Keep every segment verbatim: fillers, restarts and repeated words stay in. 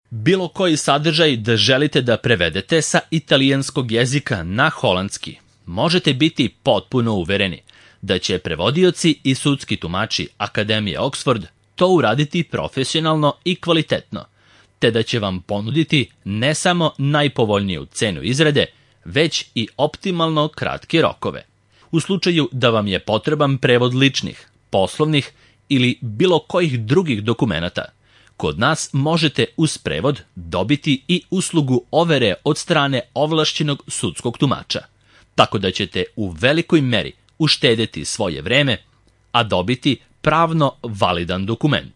Bilo koji sadržaj da želite da prevedete sa italijanskog jezika na holandski, možete biti potpuno uvereni da će prevodioci i sudski tumači Akademije Oxford to uraditi profesionalno i kvalitetno, te da će vam ponuditi ne samo najpovoljniju cenu izrade, već i optimalno kratke rokove. U slučaju da vam je potreban prevod ličnih, poslovnih ili bilo kojih drugih dokumenata, kod nas možete uz prevod dobiti i uslugu overe od strane ovlašćenog sudskog tumača, tako da ćete u velikoj meri uštedeti svoje vreme, a dobiti pravno validan dokument.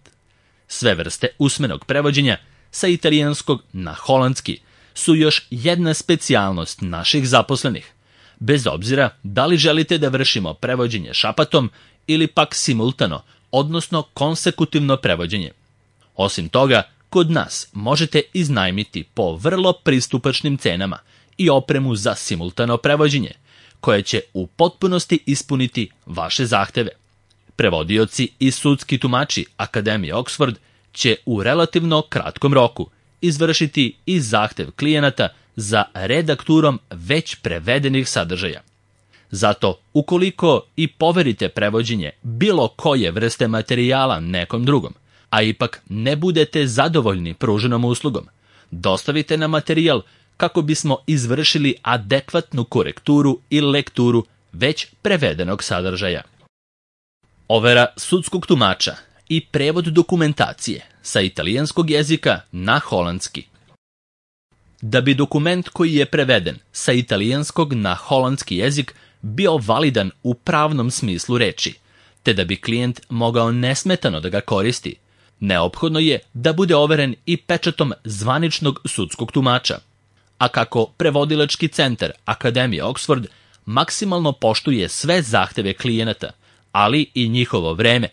Sve vrste usmenog prevođenja sa italijanskog na holandski su još jedna specijalnost naših zaposlenih, bez obzira da li želite da vršimo prevođenje šapatom ili pak simultano, odnosno konsekutivno prevođenje. Osim toga, kod nas možete iznajmiti po vrlo pristupačnim cenama i opremu za simultano prevođenje, koje će u potpunosti ispuniti vaše zahteve. Prevodioci i sudski tumači Akademije Oxford će u relativno kratkom roku izvršiti i zahtev klijenata za redakturom već prevedenih sadržaja. Zato, ukoliko i poverite prevođenje bilo koje vrste materijala nekom drugom, a ipak ne budete zadovoljni pruženom uslugom, dostavite nam materijal kako bismo izvršili adekvatnu korekturu i lekturu već prevedenog sadržaja. Overa sudskog tumača i prevod dokumentacije sa italijanskog jezika na holandski. Da bi dokument koji je preveden sa italijanskog na holandski jezik bio validan u pravnom smislu reči, te da bi klijent mogao nesmetano da ga koristi, neophodno je da bude overen i pečatom zvaničnog sudskog tumača. A kako prevodilački centar Akademije Oxford maksimalno poštuje sve zahteve klijenata, ali i njihovo vreme,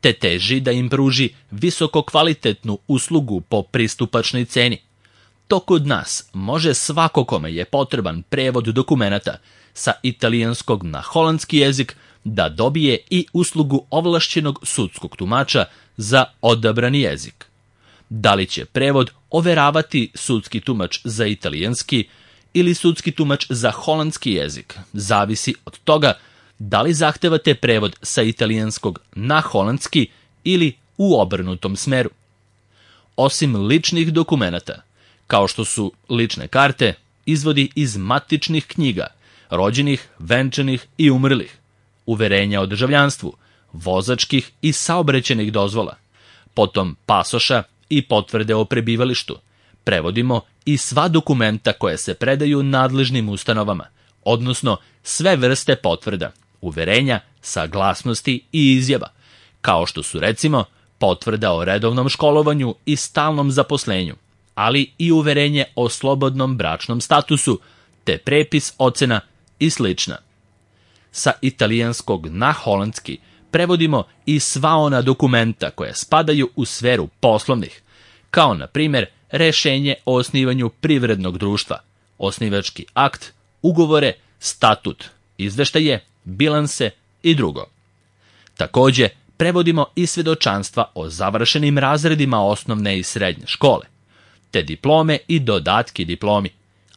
te teži da im pruži visoko kvalitetnu uslugu po pristupačnoj ceni, to kod nas može svako kome je potreban prevod dokumenata sa italijanskog na holandski jezik da dobije i uslugu ovlašćenog sudskog tumača za odabrani jezik. Da li će prevod overavati sudski tumač za italijanski ili sudski tumač za holandski jezik, zavisi od toga da li zahtevate prevod sa italijanskog na holandski ili u obrnutom smeru. Osim ličnih dokumenata, kao što su lične karte, izvodi iz matičnih knjiga, rođenih, venčanih i umrlih, uverenja o državljanstvu, vozačkih i saobraćajnih dozvola, potom pasoša i potvrde o prebivalištu, prevodimo i sva dokumenta koje se predaju nadležnim ustanovama, odnosno sve vrste potvrda, uverenja, saglasnosti i izjava, kao što su recimo potvrda o redovnom školovanju i stalnom zaposlenju, ali i uverenje o slobodnom bračnom statusu, te prepis ocena i slična. Sa italijanskog na holandski prevodimo i sva ona dokumenta koja spadaju u sferu poslovnih, kao na primjer rešenje o osnivanju privrednog društva, osnivački akt, ugovore, statut, izveštaje, bilanse i drugo. Također, prevodimo i svedočanstva o završenim razredima osnovne i srednje škole, te diplome i dodatki diplomi,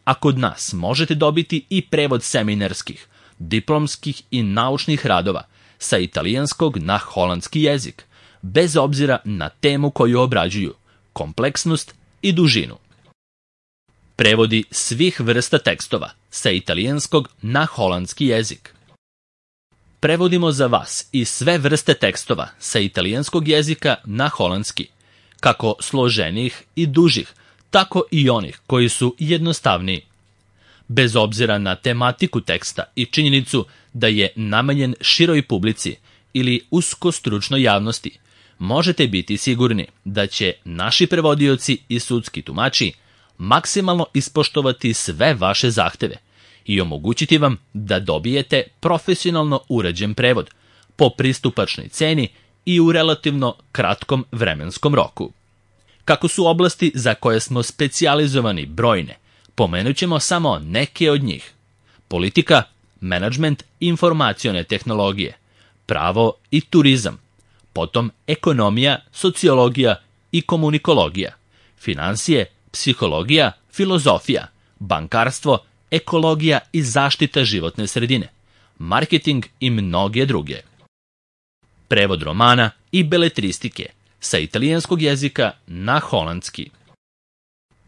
a kod nas možete dobiti i prevod seminarskih, diplomskih i naučnih radova sa italijanskog na holandski jezik, bez obzira na temu koju obrađuju, kompleksnost i dužinu. Prevodi svih vrsta tekstova sa italijanskog na holandski jezik. Prevodimo za vas i sve vrste tekstova sa italijanskog jezika na holandski, kako složenih i dužih, tako i onih koji su jednostavniji. Bez obzira na tematiku teksta i činjenicu da je namenjen široj publici ili usko stručnoj javnosti, možete biti sigurni da će naši prevodioci i sudski tumači maksimalno ispoštovati sve vaše zahteve i omogućiti vam da dobijete profesionalno urađen prevod po pristupačnoj ceni i u relativno kratkom vremenskom roku. Kako su oblasti za koje smo specijalizovani brojne, pomenut ćemo samo neke od njih. Politika, menadžment, informacione tehnologije, pravo i turizam, potom ekonomija, sociologija i komunikologija, finansije, psihologija, filozofija, bankarstvo, ekologija i zaštita životne sredine, marketing i mnoge druge. Prevod romana i beletristike sa italijanskog jezika na holandski.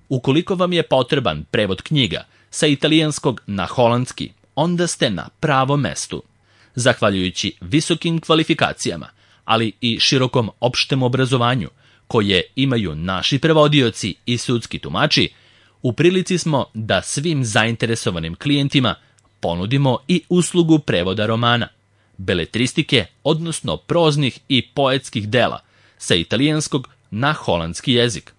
Ukoliko vam je potreban prevod knjiga sa italijanskog na holandski, onda ste na pravom mestu. Zahvaljujući visokim kvalifikacijama, ali i širokom opštem obrazovanju koje imaju naši prevodioci i sudski tumači, u prilici smo da svim zainteresovanim klijentima ponudimo i uslugu prevoda romana, beletristike, odnosno proznih i poetskih dela sa italijanskog na holandski jezik.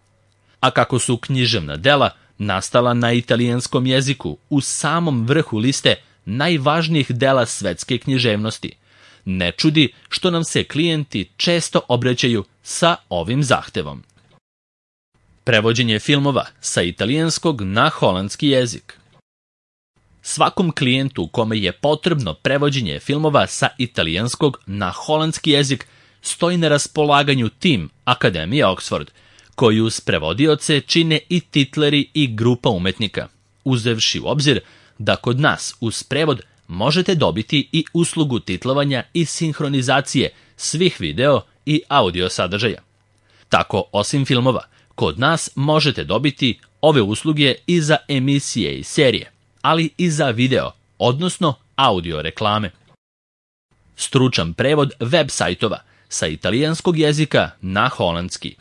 A kako su književna dela nastala na italijanskom jeziku u samom vrhu liste najvažnijih dela svetske književnosti, ne čudi što nam se klijenti često obraćaju sa ovim zahtevom. Prevođenje filmova sa italijanskog na holandski jezik. Svakom klijentu kome je potrebno prevođenje filmova sa italijanskog na holandski jezik stoji na raspolaganju tim Akademije Oxford, koju uz prevodioce čine i titleri i grupa umetnika, uzevši u obzir da kod nas uz prevod možete dobiti i uslugu titlovanja i sinhronizacije svih video i audio sadržaja. Tako, osim filmova, kod nas možete dobiti ove usluge i za emisije i serije, ali i za video, odnosno audio reklame. Stručan prevod web sajtova sa italijanskog jezika na holandski.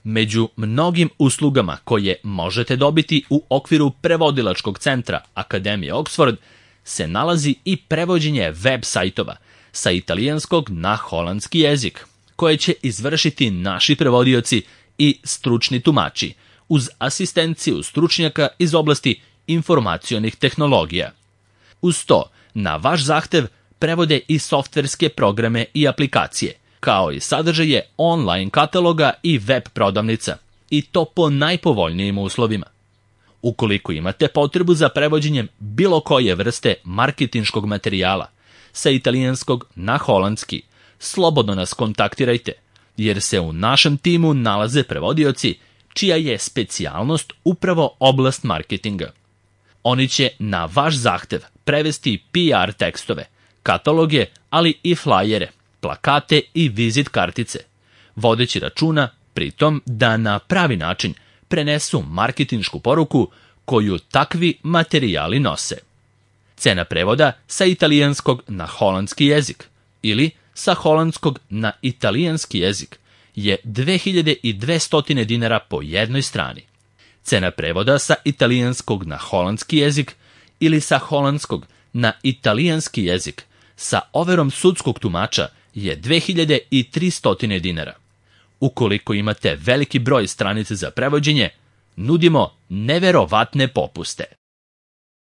Među mnogim uslugama koje možete dobiti u okviru prevodilačkog centra Akademije Oxford se nalazi i prevođenje web sajtova sa italijanskog na holandski jezik, koje će izvršiti naši prevodioci i stručni tumači, uz asistenciju stručnjaka iz oblasti informacionih tehnologija. Uz to, na vaš zahtev prevode i softverske programe i aplikacije, kao i sadržaje online kataloga i web prodavnica, i to po najpovoljnijim uslovima. Ukoliko imate potrebu za prevođenjem bilo koje vrste marketinškog materijala sa italijanskog na holandski, slobodno nas kontaktirajte, jer se u našem timu nalaze prevodioci čija je specijalnost upravo oblast marketinga. Oni će na vaš zahtev prevesti P R tekstove, kataloge, ali i flajere, plakate i vizit kartice, vodeći računa pritom da na pravi način prenesu marketinšku poruku koju takvi materijali nose. Cena prevoda sa italijanskog na holandski jezik ili sa holandskog na italijanski jezik je dve hiljade dvesta dinara po jednoj strani. Cena prevoda sa italijanskog na holandski jezik ili sa holandskog na italijanski jezik sa overom sudskog tumača je dve hiljade tristo dinara. Ukoliko imate veliki broj stranica za prevođenje, nudimo neverovatne popuste.